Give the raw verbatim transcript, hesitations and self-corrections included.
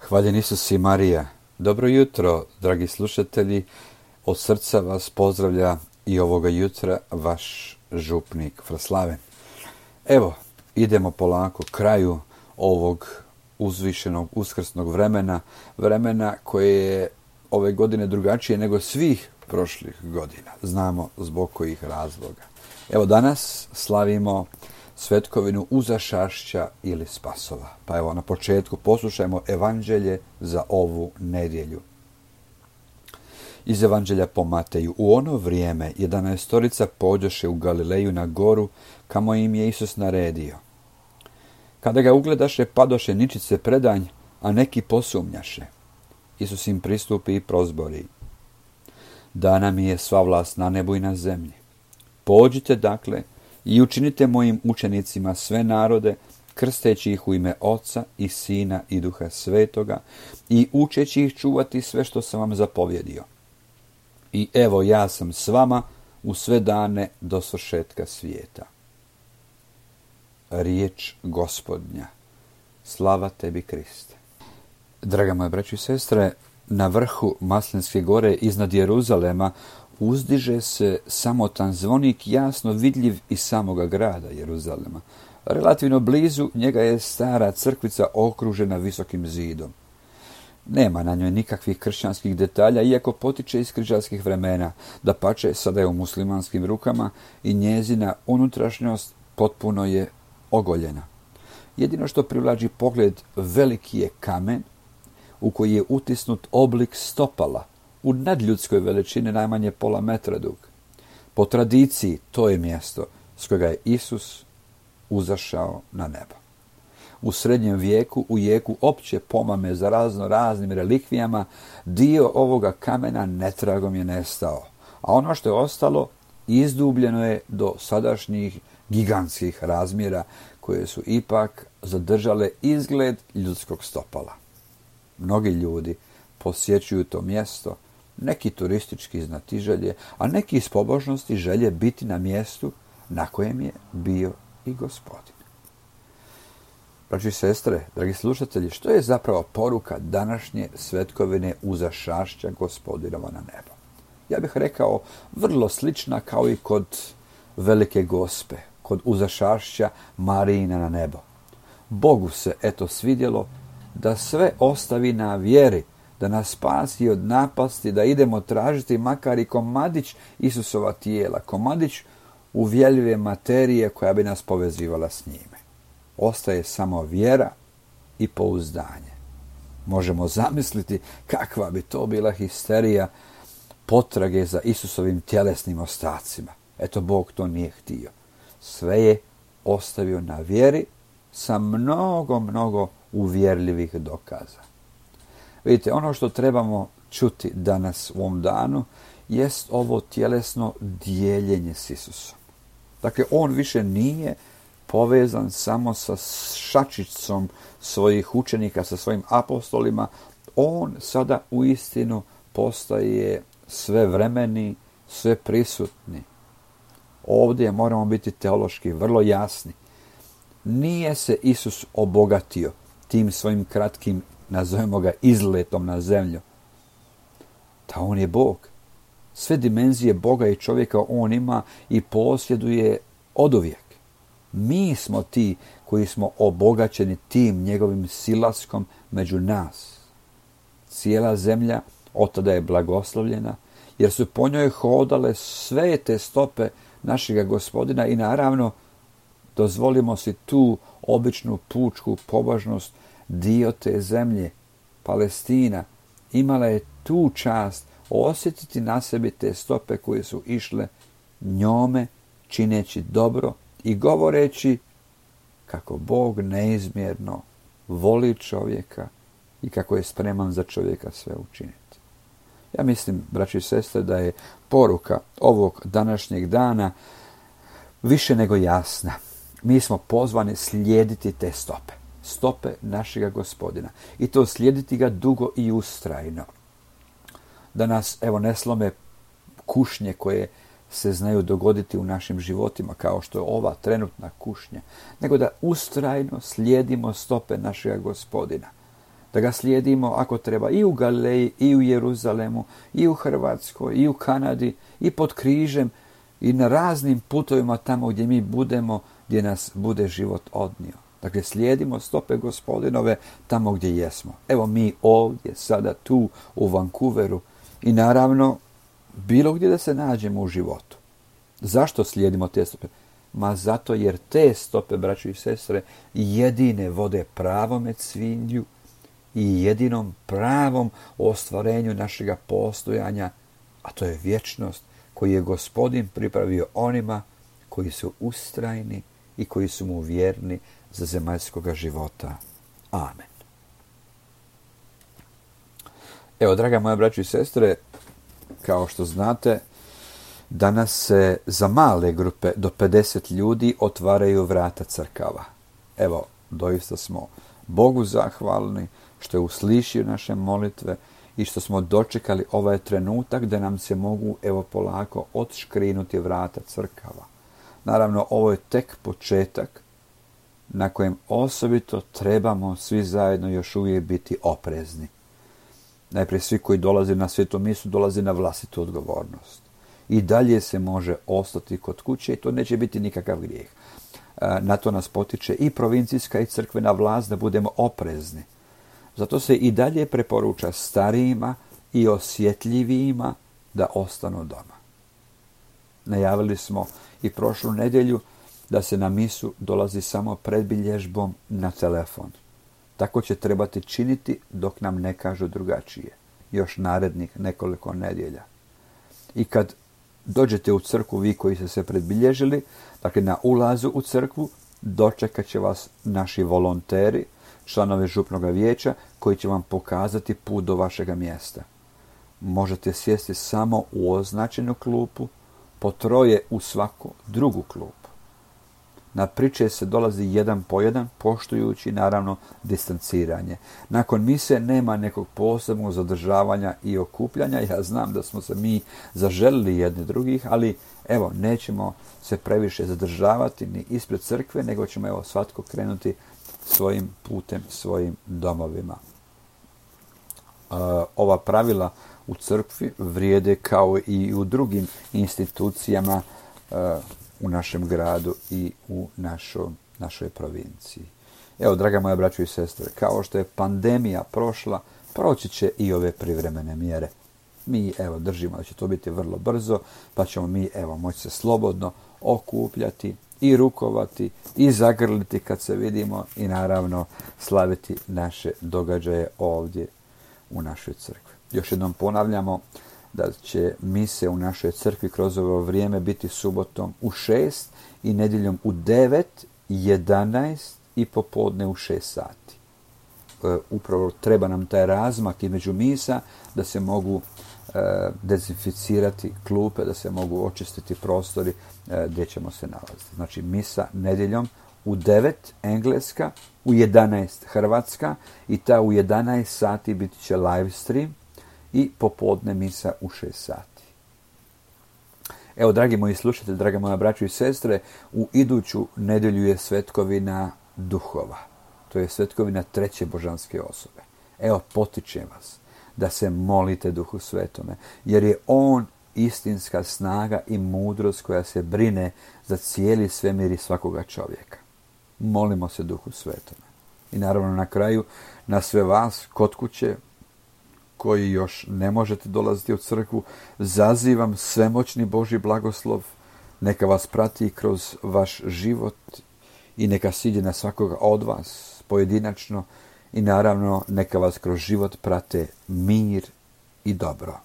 Hvaljen Isus i Marija. Dobro jutro, dragi slušatelji. Od srca vas pozdravlja i ovoga jutra vaš župnik Fraslaven. Evo, idemo polako kraju ovog uzvišenog uskrsnog vremena, vremena koje je ove godine drugačije nego svih prošlih godina. Znamo zbog kojih razloga. Evo, danas slavimo svetkovinu uzašašća ili spasova. Pa evo, na početku poslušajmo evanđelje za ovu nedjelju. Iz evanđelja po Mateju. U ono vrijeme jedanaestorica pođoše u Galileju na goru, kamo im je Isus naredio. Kada ga ugledaše, padoše ničice predanj, a neki posumnjaše. Isus im pristupi i prozbori. Dana mi je sva vlast na nebu i na zemlji. Pođite dakle i učinite mojim učenicima sve narode, krsteći ih u ime Oca i Sina i Duha Svetoga i učeći ih čuvati sve što sam vam zapovjedio. I evo, ja sam s vama u sve dane do svršetka svijeta. Riječ Gospodnja. Slava tebi, Kriste. Draga moja braćo i sestre, na vrhu Maslinske gore iznad Jeruzalema uzdiže se samotan zvonik, jasno vidljiv iz samoga grada Jeruzalema. Relativno blizu njega je stara crkvica okružena visokim zidom. Nema na njoj nikakvih kršćanskih detalja, iako potiče iz križarskih vremena. Dapače, sada je u muslimanskim rukama i njezina unutrašnjost potpuno je ogoljena. Jedino što privlači pogled veliki je kamen u koji je utisnut oblik stopala u nadljudskoj veličini, najmanje pola metra dug. Po tradiciji to je mjesto s kojega je Isus uzašao na nebo. U srednjem vijeku, u jeku opće pomame za razno raznim relikvijama, dio ovoga kamena netragom je nestao, a ono što je ostalo izdubljeno je do sadašnjih gigantskih razmjera koje su ipak zadržale izgled ljudskog stopala. Mnogi ljudi posjećuju to mjesto, neki turistički iz znatiželje, a neki iz pobožnosti želje biti na mjestu na kojem je bio i Gospodin. Braći i sestre, dragi slušatelji, što je zapravo poruka današnje svetkovine uzašašća Gospodinova na nebo? Ja bih rekao vrlo slična kao i kod Velike Gospe, kod uzašašća Marijina na nebo. Bogu se eto svidjelo da sve ostavi na vjeri, da nas spasi od napasti, da idemo tražiti makar i komadić Isusova tijela, komadić uvjeljive materije koja bi nas povezivala s njime. Ostaje samo vjera i pouzdanje. Možemo zamisliti kakva bi to bila histerija potrage za Isusovim tjelesnim ostacima. Eto, Bog to nije htio. Sve je ostavio na vjeri sa mnogo, mnogo uvjerljivih dokaza. Vidite, ono što trebamo čuti danas u ovom danu jest ovo tjelesno dijeljenje s Isusom. Dakle, on više nije povezan samo sa šačicom svojih učenika, sa svojim apostolima. On sada uistinu postaje svevremeni, sve prisutni. Ovdje moramo biti teološki vrlo jasni. Nije se Isus obogatio tim svojim kratkim, nazovemo ga, izletom na zemlju. Da on je Bog. Sve dimenzije Boga i čovjeka on ima i posjeduje oduvijek. Mi smo ti koji smo obogaćeni tim njegovim silaskom među nas. Cijela zemlja od tada je blagoslovljena, jer su po njoj hodale sve te stope našega Gospodina i naravno dozvolimo si tu običnu pučku pobožnost. Dio te zemlje, Palestina, imala je tu čast osjetiti na sebi te stope koje su išle njome, čineći dobro i govoreći kako Bog neizmjerno voli čovjeka i kako je spreman za čovjeka sve učiniti. Ja mislim, braći i sestre, da je poruka ovog današnjeg dana više nego jasna. Mi smo pozvani slijediti te stope. Stope našega Gospodina. I to slijediti ga dugo i ustrajno. Da nas, evo, ne slome kušnje koje se znaju dogoditi u našim životima, kao što je ova trenutna kušnja, nego da ustrajno slijedimo stope našega Gospodina. Da ga slijedimo ako treba i u Galileji, i u Jeruzalemu, i u Hrvatskoj, i u Kanadi, i pod križem, i na raznim putovima tamo gdje mi budemo, gdje nas bude život odnio. Dakle, slijedimo stope Gospodinove tamo gdje jesmo. Evo mi ovdje, sada tu, u Vancouveru i naravno bilo gdje da se nađemo u životu. Zašto slijedimo te stope? Ma zato jer te stope, braćo i sestre, jedine vode pravome cvilju i jedinom pravom ostvarenju našega postojanja, a to je vječnost koju je Gospodin pripravio onima koji su ustrajni i koji su mu vjerni za zemaljskoga života. Amen. Evo, draga moja braćo i sestre, kao što znate, danas se za male grupe do pedeset ljudi otvaraju vrata crkava. Evo, doista smo Bogu zahvalni što je uslišio naše molitve i što smo dočekali ovaj trenutak da nam se mogu, evo, polako odškrinuti vrata crkava. Naravno, ovo je tek početak na kojem osobito trebamo svi zajedno još uvijek biti oprezni. Najprije svi koji dolaze na svetu misu dolaze na vlastitu odgovornost. I dalje se može ostati kod kuće i to neće biti nikakav grijeh. Na to nas potiče i provincijska i crkvena vlast da budemo oprezni. Zato se i dalje preporuča starijima i osjetljivijima da ostanu doma. Najavili smo i prošlu nedjelju da se na misu dolazi samo predbilježbom na telefon. Tako će trebati činiti dok nam ne kažu drugačije. Još narednih nekoliko nedjelja. I kad dođete u crkvu, vi koji ste se predbilježili, dakle na ulazu u crkvu, dočekat će vas naši volonteri, članovi župnog vijeća, koji će vam pokazati put do vašega mjesta. Možete sjesti samo u označenu klupu, po troje u svaku drugu klupu. Na priče se dolazi jedan po jedan, poštujući naravno distanciranje. Nakon mise nema nekog posebnog zadržavanja i okupljanja. Ja znam da smo se mi zaželili jedni drugih, ali evo, nećemo se previše zadržavati ni ispred crkve, nego ćemo evo svatko krenuti svojim putem, svojim domovima. Uh, ova pravila u crkvi vrijede kao i u drugim institucijama uh, u našem gradu i u našo, našoj provinciji. Evo, draga moja braćo i sestre, kao što je pandemija prošla, proći će i ove privremene mjere. Mi, evo, držimo da će to biti vrlo brzo, pa ćemo mi, evo, moći se slobodno okupljati i rukovati i zagrliti kad se vidimo i naravno slaviti naše događaje ovdje u našoj crkvi. Još jednom ponavljamo da će mise u našoj crkvi kroz ovo vrijeme biti subotom u šest i nedjeljom u devet, jedanaest i popodne u šest sati. E, upravo treba nam taj razmak između misa da se mogu e, dezinficirati klupe, da se mogu očistiti prostori e, gdje ćemo se nalaziti. Znači misa nedjeljom u devet engleska, u jedanaest hrvatska i ta u jedanaest sati biti će live stream i popodne misa u šest sati. Evo, dragi moji slušatelji, draga moja braćo i sestre, u iduću nedjelju je svetkovina duhova. To je svetkovina treće božanske osobe. Evo, potičem vas da se molite Duhu Svetome, jer je on istinska snaga i mudrost koja se brine za cijeli svemir i svakoga čovjeka. Molimo se Duhu Svetome. I naravno na kraju, na sve vas kod kuće, koji još ne možete dolaziti u crkvu, zazivam svemoćni Božji blagoslov, neka vas prati kroz vaš život i neka siđe na svakoga od vas pojedinačno i naravno neka vas kroz život prate mir i dobro.